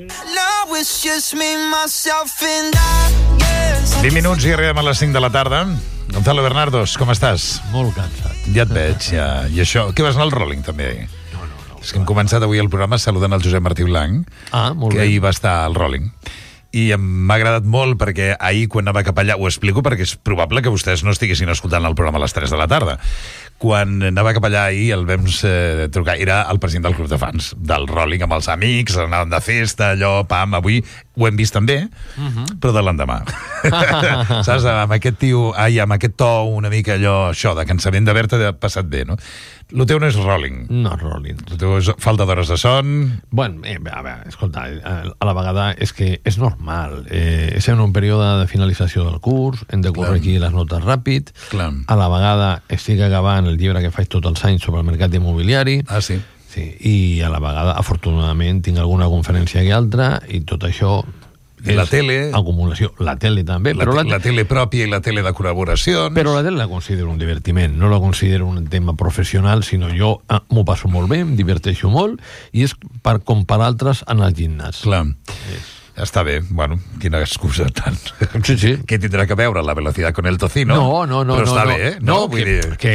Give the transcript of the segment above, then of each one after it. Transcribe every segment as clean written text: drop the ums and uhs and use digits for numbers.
Now it's just me, myself and I, yes. 20 minuts i arribem a les 5 de la tarda. Gonzalo Bernardos, com estàs? Molt cansat. Ja et veig, ja. I això, què vas anar al Rolling, també? No. És que hem començat avui el programa saludant el Josep Martí Blanc, Molt que bé. ahir va estar al Rolling. I m'ha agradat molt perquè ahir, quan anava cap allà, ho explico perquè és probable que vostès no estiguessin escoltant el programa a les 3 de la tarda. Quan anava cap allà ahir el vam trucar, era el president del club de fans del Rolling, amb els amics, anàvem de festa, allò, pam, avui ho hem vist també, però de l'endemà. Saps, amb aquest tio, amb aquest to una mica allò, això, de cansament d'haver-te passat bé, no? El teu no és Rolling. No, Rolling. El teu és falta d'hores de son. Bueno, a veure, escolta, a la vegada és que és normal. Estem en un període de finalització del curs, hem de corregir les notes ràpid. Clar. A la vegada estic acabant el llibre que faig tots els anys sobre el mercat immobiliari. Ah, sí? Sí, i a la vegada, afortunadament, tinc alguna conferència i altra, i tot això I la tele. Acumulació. La tele també. La tele pròpia i la tele de col·laboracions. Però la tele la considero un divertiment, no la considero un tema professional, sinó jo m'ho passo molt bé, em diverteixo molt, i és com per altres en el gimnàs. Clar. Està bé, bueno, quina excusa tant. Sí. Què tindrà que veure la velocidad con el tocino? No. Però està bé, eh? No, que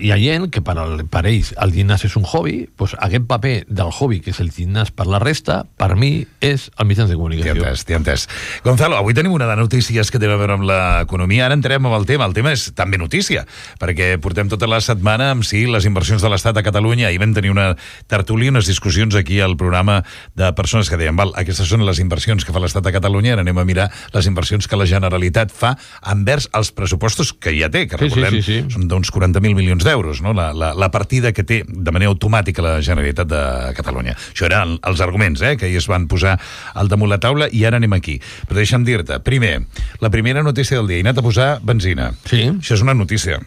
hi ha gent que per ells el gimnàs és un hobby, doncs aquest paper del hobby, que és el gimnàs per la resta, per mi és el mitjans de comunicació. T'he entès. Gonzalo, avui tenim una de notícies que té a veure amb l'economia. Ara entrem amb el tema. El tema és també notícia, perquè portem tota la setmana amb les inversions de l'Estat a Catalunya. Ahir vam tenir una tertúlia, unes discussions aquí al programa de persones que deien, val, aquestes són les inversions que fa l'Estat a Catalunya, ara anem a mirar les inversions que la Generalitat fa envers els pressupostos que ja té, que recordem, són d'uns 40.000 milions d'euros, no? La partida que té de manera automàtica la Generalitat de Catalunya. Això eren els arguments, que ahir es van posar al damunt la taula, i ara anem aquí. Però deixa'm dir-te, primer, la primera notícia del dia, he anat a posar benzina. Sí. Això és una notícia.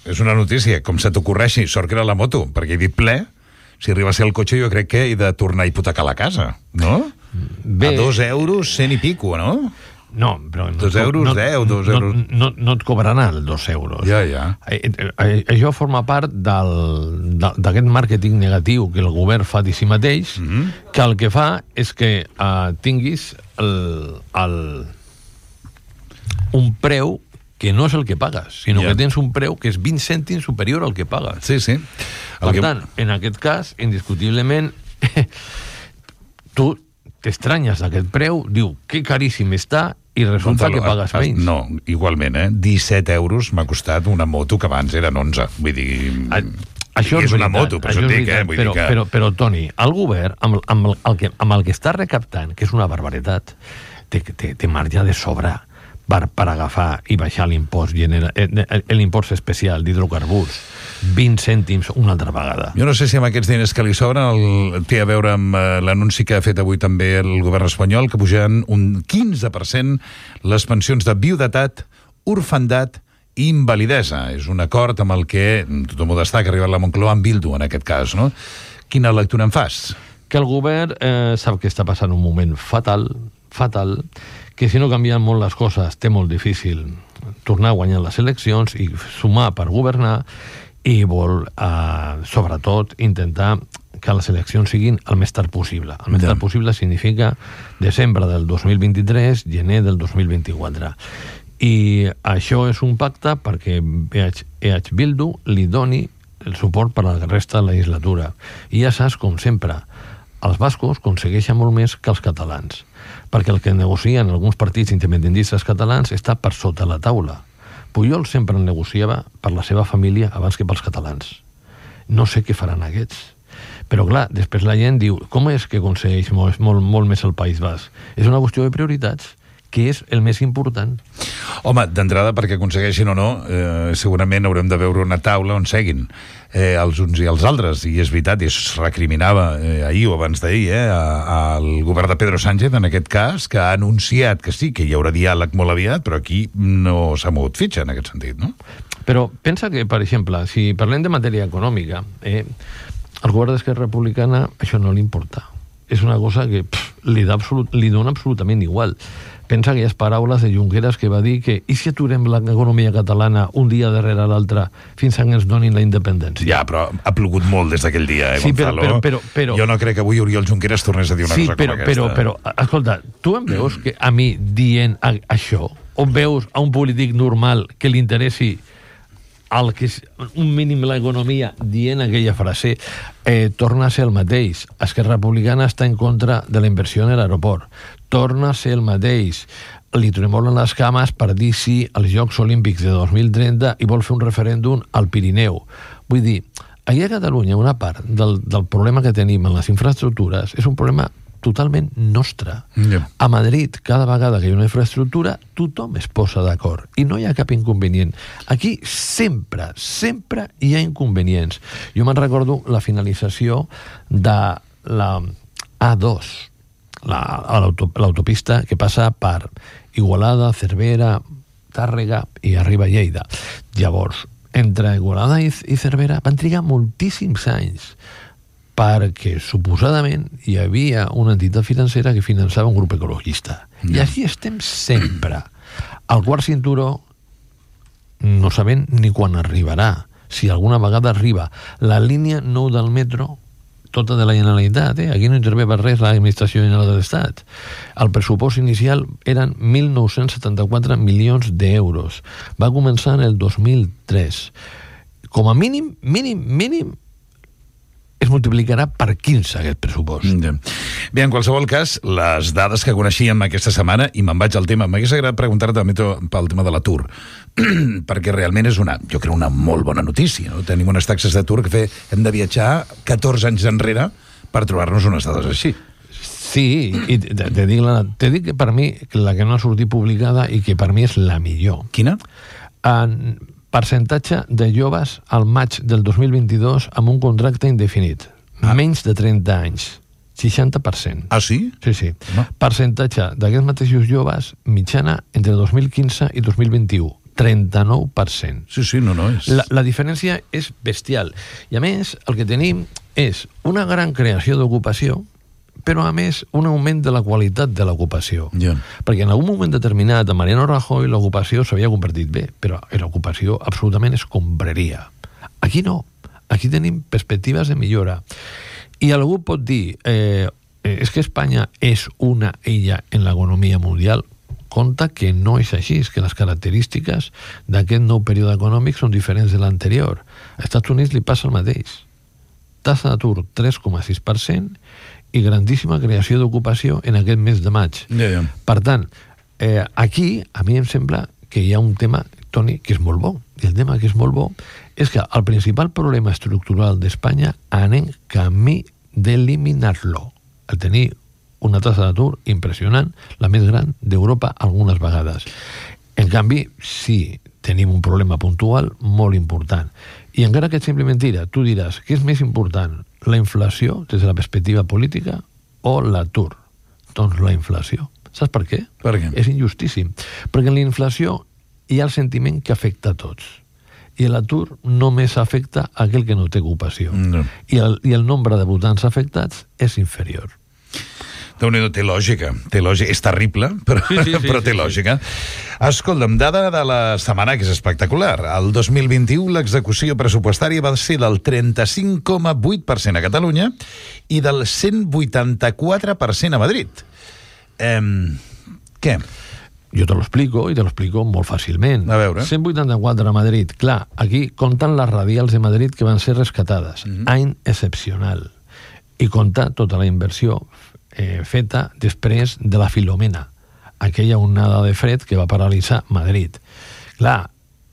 És una notícia, com se t'ocorreixi, sort que era la moto, perquè he dit ple. Si arriba a ser el cotxe, jo crec que he de tornar a hipotecar la casa, no? Bé. A 2 euros, 100 i pico, no? No, però... 2 euros, 10, 2 euros... No et cobraran els 2 euros. Ja. Això forma part d'aquest màrqueting negatiu que el govern fa de si mateix, que el que fa és que tinguis un preu que no és el que pagues, sinó que tens un preu que és 20 cèntims superior al que pagues. Sí. Per tant, en aquest cas, indiscutiblement, tu t'estranyes d'aquest preu, diu, que caríssim està, i resulta que pagues menys. No, igualment, 17 euros m'ha costat una moto que abans eren 11. Vull dir... Això és una moto, per això et dic, Però, Toni, el govern, amb el que està recaptant, que és una barbaritat, té marge de sobra per agafar i baixar l'impost l'impost especial d'hidrocarburs 20 cèntims una altra vegada. Jo no sé si amb aquests diners que li sobren té a veure amb l'anunci que ha fet avui també el govern espanyol, que pujaran un 15% les pensions de viudetat, orfandat i invalidesa. És un acord amb el que tothom ho destaca, ha arribat la Moncloa amb Bildu en aquest cas, no? Quina lectura en fas? Que el govern sap que està passant un moment fatal, que si no canvien molt les coses té molt difícil tornar a guanyar les eleccions i sumar per governar, i vol, sobretot, intentar que les eleccions siguin el més tard possible. El més tard possible significa desembre del 2023, gener del 2024. I això és un pacte perquè EH Bildu li doni el suport per a la resta de la legislatura. I ja saps, com sempre, els bascos aconsegueixen molt més que els catalans, perquè el que negocien alguns partits independentistes catalans està per sota la taula. Pujol sempre negociava per la seva família abans que pels catalans. No sé què faran aquests. Però clar, després la gent diu, com és que aconsegueix molt més el País Basc? És una qüestió de prioritats, que és el més important. Home, d'entrada, perquè aconsegueixin o no, segurament haurem de veure una taula on seguin els uns i els altres, i és veritat, i es recriminava ahir o abans d'ahir al govern de Pedro Sánchez, en aquest cas, que ha anunciat que sí, que hi haurà diàleg molt aviat, però aquí no s'ha mogut fitxa en aquest sentit, no? Però pensa que, per exemple, si parlem de matèria econòmica, al govern d'Esquerra Republicana això no li importa. És una cosa que li dona absolutament igual. Pensa aquelles paraules de Junqueras que va dir que i si aturem l'economia catalana un dia darrere l'altre fins que ens donin la independència? Ja, però ha plogut molt des d'aquell dia, sí, Gonzalo. Però, jo no crec que avui Oriol Junqueras tornés a dir una cosa com aquesta. Però, escolta, tu em veus que a mi dient això, o veus a un polític normal que li interessi el que és un mínim l'economia dient aquella frase, torna a ser el mateix. Esquerra Republicana està en contra de la inversió en l'aeroport. Torna a ser el mateix. Li tremolen les cames per dir sí als Jocs Olímpics de 2030 i vol fer un referèndum al Pirineu. Vull dir, aquí a Catalunya una part del problema que tenim en les infraestructures és un problema totalment nostre. Yeah. A Madrid, cada vegada que hi ha una infraestructura, tothom es posa d'acord i no hi ha cap inconvenient. Aquí sempre hi ha inconvenients. Jo me'n recordo la finalització de la A2, l'autopista que passa per Igualada, Cervera, Tàrrega i arriba a Lleida. Llavors, entre Igualada i Cervera van trigar moltíssims anys perquè suposadament hi havia una entitat financera que finançava un grup ecologista. I així estem sempre. El quart cinturó no sabem ni quan arribarà. Si alguna vegada arriba. La línia 9 del metro, tota de la Generalitat, aquí no intervé per res l'administració general de l'Estat. El pressupost inicial eren 1.974 milions d'euros. Va començar en el 2003. Com a mínim, es multiplicarà per 15 aquest pressupost. Bé, en qualsevol cas, les dades que coneixíem aquesta setmana, i me'n vaig al tema, m'hagués agradat preguntar-te també pel tema de l'atur, perquè realment és jo crec una molt bona notícia, no? Tenim unes taxes d'atur que hem de viatjar 14 anys enrere per trobar-nos unes dades així. Sí, i te dic que per mi la que no ha sortit publicada i que per mi és la millor. Quina? Percentatge de joves al maig del 2022 amb un contracte indefinit. Menys de 30 anys. 60%. Ah, sí? Sí. No. Percentatge d'aquests mateixos joves mitjana entre 2015 i 2021. 39%. Sí, no és... La diferència és bestial. I a més, el que tenim és una gran creació d'ocupació, però a més un augment de la qualitat de l'ocupació. Yeah. Perquè en algun moment determinat a Mariano Rajoy l'ocupació s'havia convertit bé, però l'ocupació absolutament escombraria. Aquí no. Aquí tenim perspectives de millora. I algú pot dir és que Espanya és una illa en l'economia mundial. Compte que no és així, és que les característiques d'aquest nou període econòmic són diferents de l'anterior. Als Estats Units li passa el mateix. Tassa d'atur 3,6% i grandíssima creació d'ocupació en aquest mes de maig. Yeah. Per tant, aquí a mi em sembla que hi ha un tema, Toni, que és molt bo. I el tema que és molt bo és que el principal problema estructural d'Espanya anem camí d'eliminar-lo. El tenir una tassa d'atur impressionant, la més gran d'Europa algunes vegades. En canvi, sí, tenim un problema puntual molt important. I encara que et sembli mentira, tu diràs, què és més important, la inflació des de la perspectiva política o l'atur? Doncs la inflació. Saps per què? Per què? És injustíssim. Perquè en la inflació hi ha el sentiment que afecta a tots. I l'atur només afecta a aquell que no té ocupació. No. I el nombre de votants afectats és inferior. Déu-n'hi-do, té lògica. És terrible, però, però té lògica. Escolta'm, dada de la setmana que és espectacular. El 2021 l'execució pressupostària va ser del 35,8% a Catalunya i del 184% a Madrid. Què? Jo te l'explico, i te l'explico molt fàcilment. A veure. 184 a Madrid. Clar, aquí compten les radials de Madrid que van ser rescatades. Any excepcional. I compta tota la inversió feta després de la Filomena, aquella onada de fred que va paralitzar Madrid. Clar,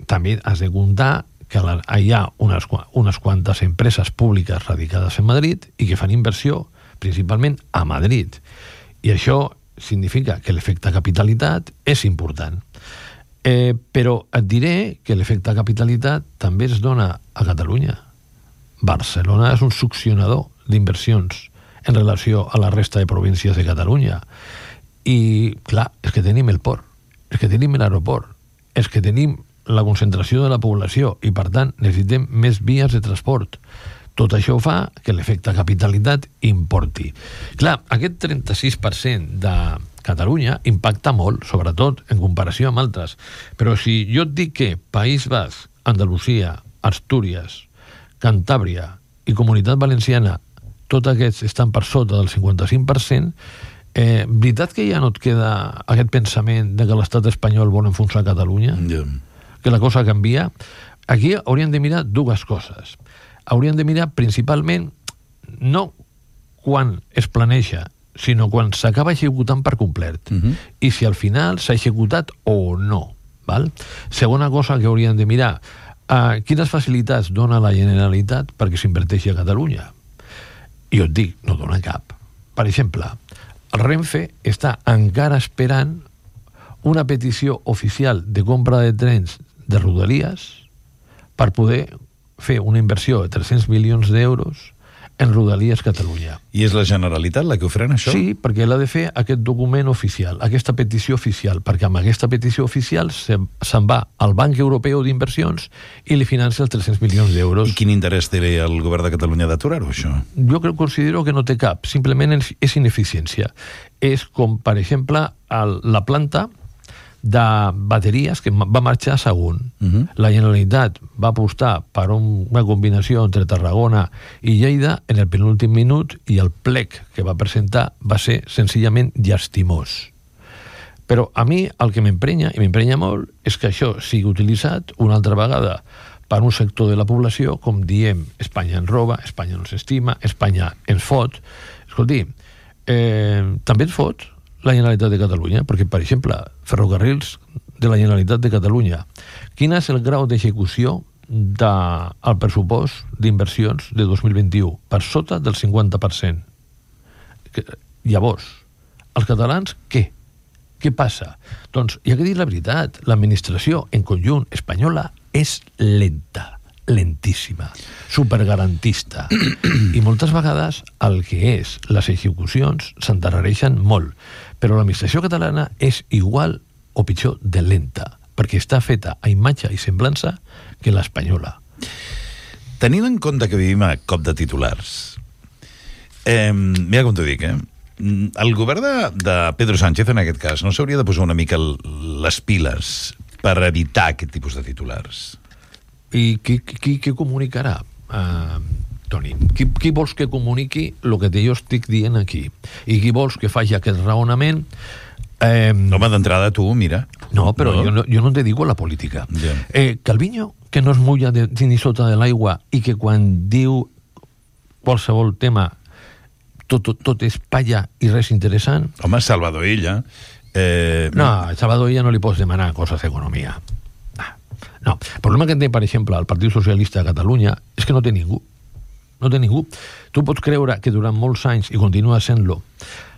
també has de comptar que hi ha unes quantes empreses públiques radicades en Madrid i que fan inversió principalment a Madrid. I això significa que l'efecte capitalitat és important. Però et diré que l'efecte capitalitat també es dona a Catalunya. Barcelona és un succionador d'inversions en relació a la resta de províncies de Catalunya. I, clar, és que tenim el port, és que tenim l'aeroport, és que tenim la concentració de la població i, per tant, necessitem més vies de transport. Tot això fa que l'efecte capitalitat importi. Clar, aquest 36% de Catalunya impacta molt, sobretot en comparació amb altres. Però si jo et dic que País Basc, Andalusia, Astúries, Cantàbria i Comunitat Valenciana, tots aquests estan per sota del 55%, veritat que ja no et queda aquest pensament de que l'estat espanyol vol enfonsar Catalunya? Que la cosa canvia? Aquí hauríem de mirar dues coses. Hauríem de mirar principalment no quan es planeja, sinó quan s'acaba executant per complet. I si al final s'ha executat o no. Val? Segona cosa que hauríem de mirar, quines facilitats dona la Generalitat perquè s'inverteixi a Catalunya? I jo et dic, no dona cap. Per exemple, el Renfe està encara esperant una petició oficial de compra de trens de Rodalies per poder fer una inversió de 300 milions d'euros en Rodalies Catalunya. I és la Generalitat la que ho frena, això? Sí, perquè l'ha de fer aquest document oficial, aquesta petició oficial, perquè amb aquesta petició oficial se'n va al Banc Europeu d'Inversions i li financia els 300 milions d'euros. I quin interès té el govern de Catalunya d'aturar-ho, això? Jo considero que no té cap, simplement és ineficiència. És com, per exemple, la planta de bateries que va marxar a Sagunt. La Generalitat va apostar per una combinació entre Tarragona i Lleida en el penúltim minut i el plec que va presentar va ser senzillament llastimós. Però a mi el que m'emprenya, i m'emprenya molt, és que això sigui utilitzat una altra vegada per un sector de la població, com diem, Espanya ens roba, Espanya no s'estima, Espanya ens fot. Escolti, també ens fot la Generalitat de Catalunya, perquè, per exemple, Ferrocarrils de la Generalitat de Catalunya, quin és el grau d'execució del pressupost d'inversions de 2021? Per sota del 50%. Llavors, els catalans, què? Què passa? Doncs, hi ha que dir la veritat, l'administració en conjunt espanyola és lenta, lentíssima, supergarantista. I moltes vegades el que és les execucions s'endarrereixen molt. Però l'administració catalana és igual o pitjor de lenta, perquè està feta a imatge i semblança que l'espanyola. Tenint en compte que vivim a cop de titulars, mira com t'ho dic, el govern de Pedro Sánchez, en aquest cas, no s'hauria de posar una mica les piles per evitar aquest tipus de titulars? I qui comunicarà, Toni? Qui vols que comuniqui el que jo estic dient aquí? I qui vols que faci aquest raonament? Home, d'entrada tu, mira. No, però no. Jo no te digo la política. Yeah. Calviño, que no es mulla ni sota de l'aigua i que quan diu qualsevol tema tot és palla i res interessant. Home, Salvador Illa. No, a Salvador Illa no li pots demanar coses d'economia. No, el problema que té, per exemple, el Partit Socialista de Catalunya és que no té ningú. No té ningú. Tu pots creure que durant molts anys, i continua sent-lo,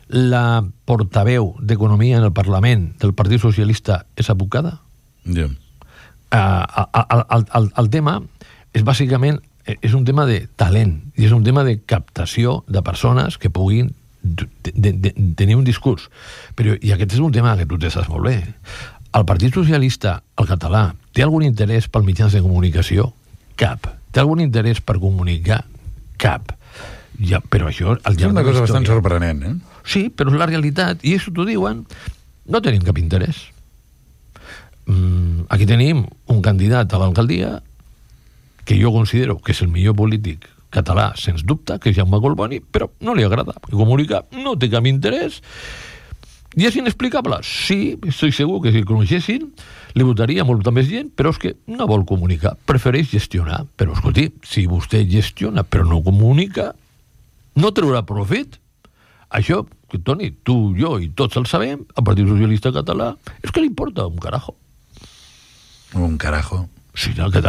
la portaveu d'Economia en el Parlament del Partit Socialista és abocada? Yeah. El tema és bàsicament és un tema de talent i és un tema de captació de persones que puguin tenir un discurs. Però, i aquest és un tema que tu te saps molt bé. El Partit Socialista, el català, té algun interès pels mitjans de comunicació? Cap. Té algun interès per comunicar? Cap. Ja, però això... És una cosa bastant sorprenent, Sí, però és la realitat. I això t'ho diuen. No tenim cap interès. Aquí tenim un candidat a l'alcaldia que jo considero que és el millor polític català, sens dubte, que és Jaume Collboni, però no li agrada. Comunicar no té cap interès. I és inexplicable? Sí, estic segur que si el coneixessin li votaria molta més gent, però és que no vol comunicar, prefereix gestionar. Però, escolti, si vostè gestiona però no comunica, no treurà profit. Això, que Toni, tu, jo i tots el sabem, el Partit Socialista Català, és que li importa un carajo. Un carajo? Sí, no, que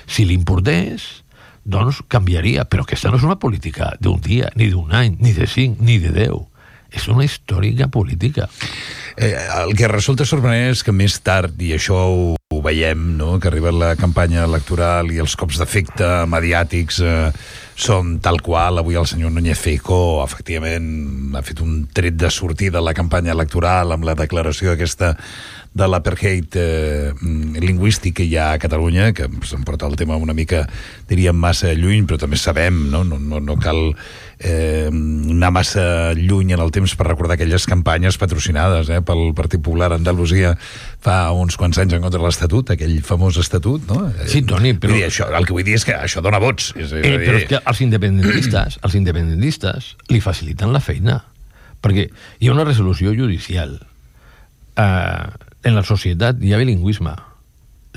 si li importés, doncs canviaria, però aquesta no és una política d'un dia, ni d'un any, ni de 5, ni de 10. És una històrica política. El que resulta sorprenent és que més tard, i això ho veiem, no?, que arriba la campanya electoral i els cops d'efecte mediàtics són tal qual. Avui el senyor Núñez Feijóo efectivament ha fet un tret de sortida a la campanya electoral amb la declaració aquesta de l'apartheid lingüístic que hi ha a Catalunya, que se'n porta el tema una mica, diríem, massa lluny, però també sabem, no cal anar massa lluny en el temps per recordar aquelles campanyes patrocinades pel Partit Popular a Andalusia fa uns quants anys en contra de l'Estatut, aquell famós Estatut, no? Sí, Toni, però... Vull dir, el que vull dir és que això dona vots. Però és que els independentistes li faciliten la feina, perquè hi ha una resolució judicial. En la societat hi ha bilingüisme.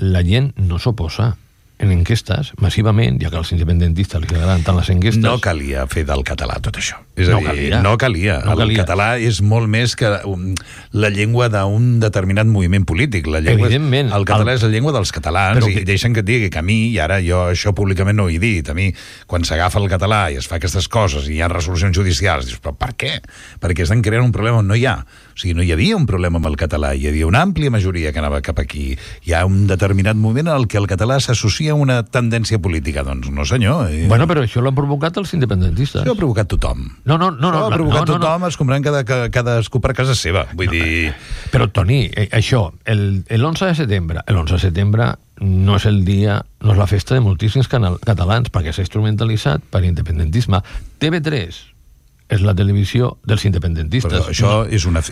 La gent no s'oposa. En enquestes, massivament, ja que als independentistes li agraden tant les enquestes... No calia fer del català tot això. És a dir, no calia. El català és molt més que la llengua d'un determinat moviment polític. Evidentment. El català és la llengua dels catalans, i deixen que et digui que a mi, i ara jo això públicament no ho he dit, a mi, quan s'agafa el català i es fa aquestes coses i hi ha resolucions judicials, dius, però per què? Perquè estan creant un problema on no hi ha. O sigui, no hi havia un problema amb el català, hi havia una àmplia majoria que anava cap aquí. Hi ha un determinat moment en el que el català s'associa a una tendència política. Doncs no, senyor. Bueno, però això l'han provocat els independentistes. Això ho ha provocat tothom. No, ho ha provocat tothom, es comprèn cadascú per casa seva. Vull dir... Però, Toni, això, l'11 de setembre no és el dia, no és la festa de moltíssims catalans, perquè s'ha instrumentalitzat per independentisme. TV3 és la televisió dels independentistes. Però això és una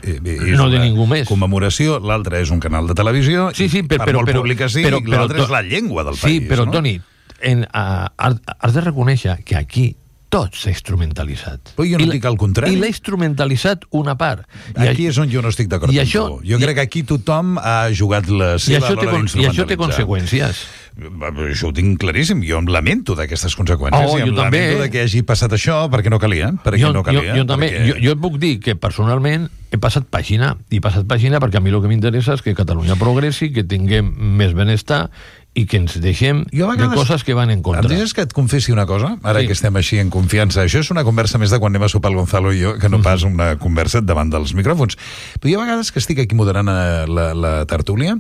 commemoració, l'altre és un canal de televisió, per molt públic que sigui, l'altre és la llengua del país. Sí, però, Toni, has de reconèixer que aquí tot s'ha instrumentalitzat. Però jo no dic el contrari. I l'ha instrumentalitzat una part. Aquí és on jo no estic d'acord amb tu. Jo crec que aquí tothom ha jugat la seva a l'hora d'instrumentalitzar. I això té conseqüències. Això ho tinc claríssim. Jo em lamento d'aquestes conseqüències. Jo també. Lamento que hagi passat això perquè no calia. Jo també. Jo et puc dir que personalment he passat pàgina. I he passat pàgina perquè a mi el que m'interessa és que Catalunya progressi, que tinguem més benestar i que ens deixem de coses que van en contra. Em deixes que et confessi una cosa? Ara que estem així en confiança. Això és una conversa més de quan anem a sopar el Gonzalo i jo, que no pas una conversa davant dels micròfons. Però hi ha vegades que estic aquí moderant la tertúlia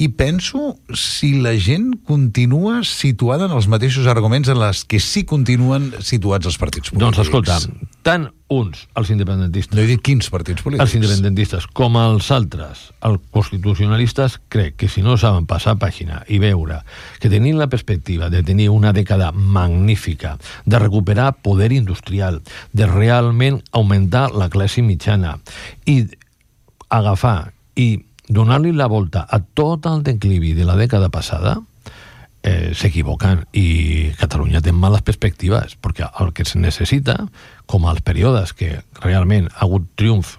i penso si la gent continua situada en els mateixos arguments en les que sí continuen situats els partits polítics. Doncs escolta, tant uns, els independentistes... No he dit quins partits polítics. Els independentistes, com els altres, els constitucionalistes, crec que si no saben passar pàgina i veure que tenint la perspectiva de tenir una dècada magnífica, de recuperar poder industrial, de realment augmentar la classe mitjana i agafar i donar-li la volta a tot el declivi de la dècada passada, s'equivoquen i Catalunya té males perspectives, perquè el que es necessita, com als períodes que realment ha hagut triomf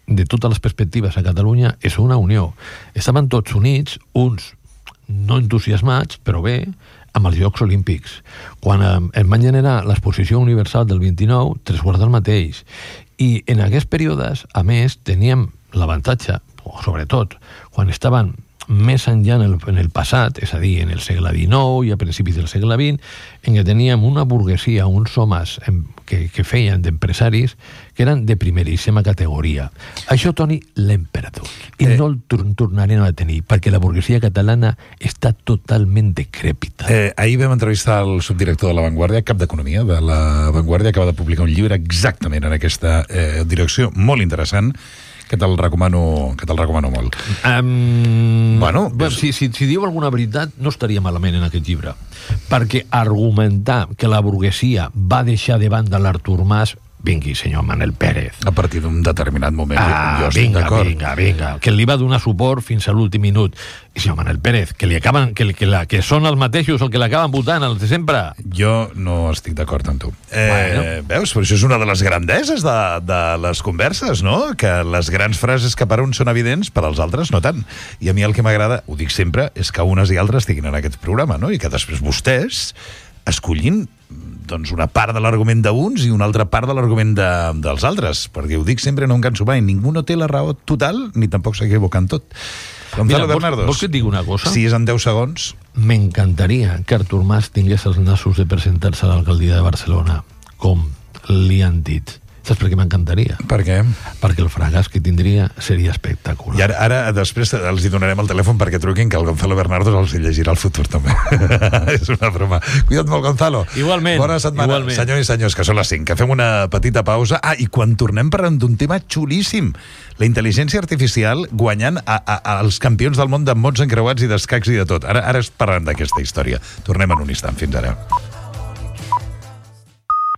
de totes les perspectives a Catalunya, és una unió. Estaven tots units, uns no entusiasmats, però bé, amb els Jocs Olímpics. Quan es van generar l'exposició universal del 29, 3/4 del mateix. I en aquests períodes, a més, teníem l'avantatge, sobretot, quan estaven més enllà en el passat, és a dir, en el segle XIX i a principis del segle XX, en què teníem una burguesia, uns homes que feien d'empresaris que eren de primeríssima categoria. Això, Toni, l'hem perdut. I no el tornarem a tenir, perquè la burguesia catalana està totalment decrèpita. Ahir vam entrevistar el subdirector de La Vanguardia, cap d'Economia de La Vanguardia, acaba de publicar un llibre exactament en aquesta direcció, molt interessant, que te'l recomano molt. Si diu alguna veritat, no estaria malament en aquest llibre. Perquè argumentar que la burguesia va deixar de banda l'Artur Mas, vingui, senyor Manel Pérez. A partir d'un determinat moment, jo estic d'acord. Vinga, que li va donar suport fins a l'últim minut. I senyor Manel Pérez, que són els mateixos el que l'acaben votant, els de sempre. Jo no estic d'acord amb tu. Veus? Però això és una de les grandeses de les converses, no? Que les grans frases que per uns són evidents, per als altres no tant. I a mi el que m'agrada, ho dic sempre, és que unes i altres estiguin en aquest programa, no? I que després vostès escollin doncs una part de l'argument d'uns i una altra part de l'argument dels altres, perquè ho dic sempre, no em canso mai, ningú no té la raó total ni tampoc s'equivoca en tot. Gonzalo Bernardos, vols que et digui una cosa? Si és en 10 segons. M'encantaria que Artur Mas tingués els nassos de presentar-se a l'alcaldia de Barcelona, com li han dit. Saps per què m'encantaria? Per què? Perquè el fracàs que tindria seria espectacular. I ara després els hi donarem el telèfon perquè truquin, que el Gonzalo Bernardo els hi llegirà el futur també. És una broma. Cuida't molt, Gonzalo. Igualment. Bona setmana. Igualment. Senyors i senyors, que són les 5, que fem una petita pausa. I quan tornem parlant d'un tema xulíssim, la intel·ligència artificial guanyant als campions del món de mots encreuats i d'escacs i de tot. Ara parlem d'aquesta història. Tornem en un instant. Fins ara.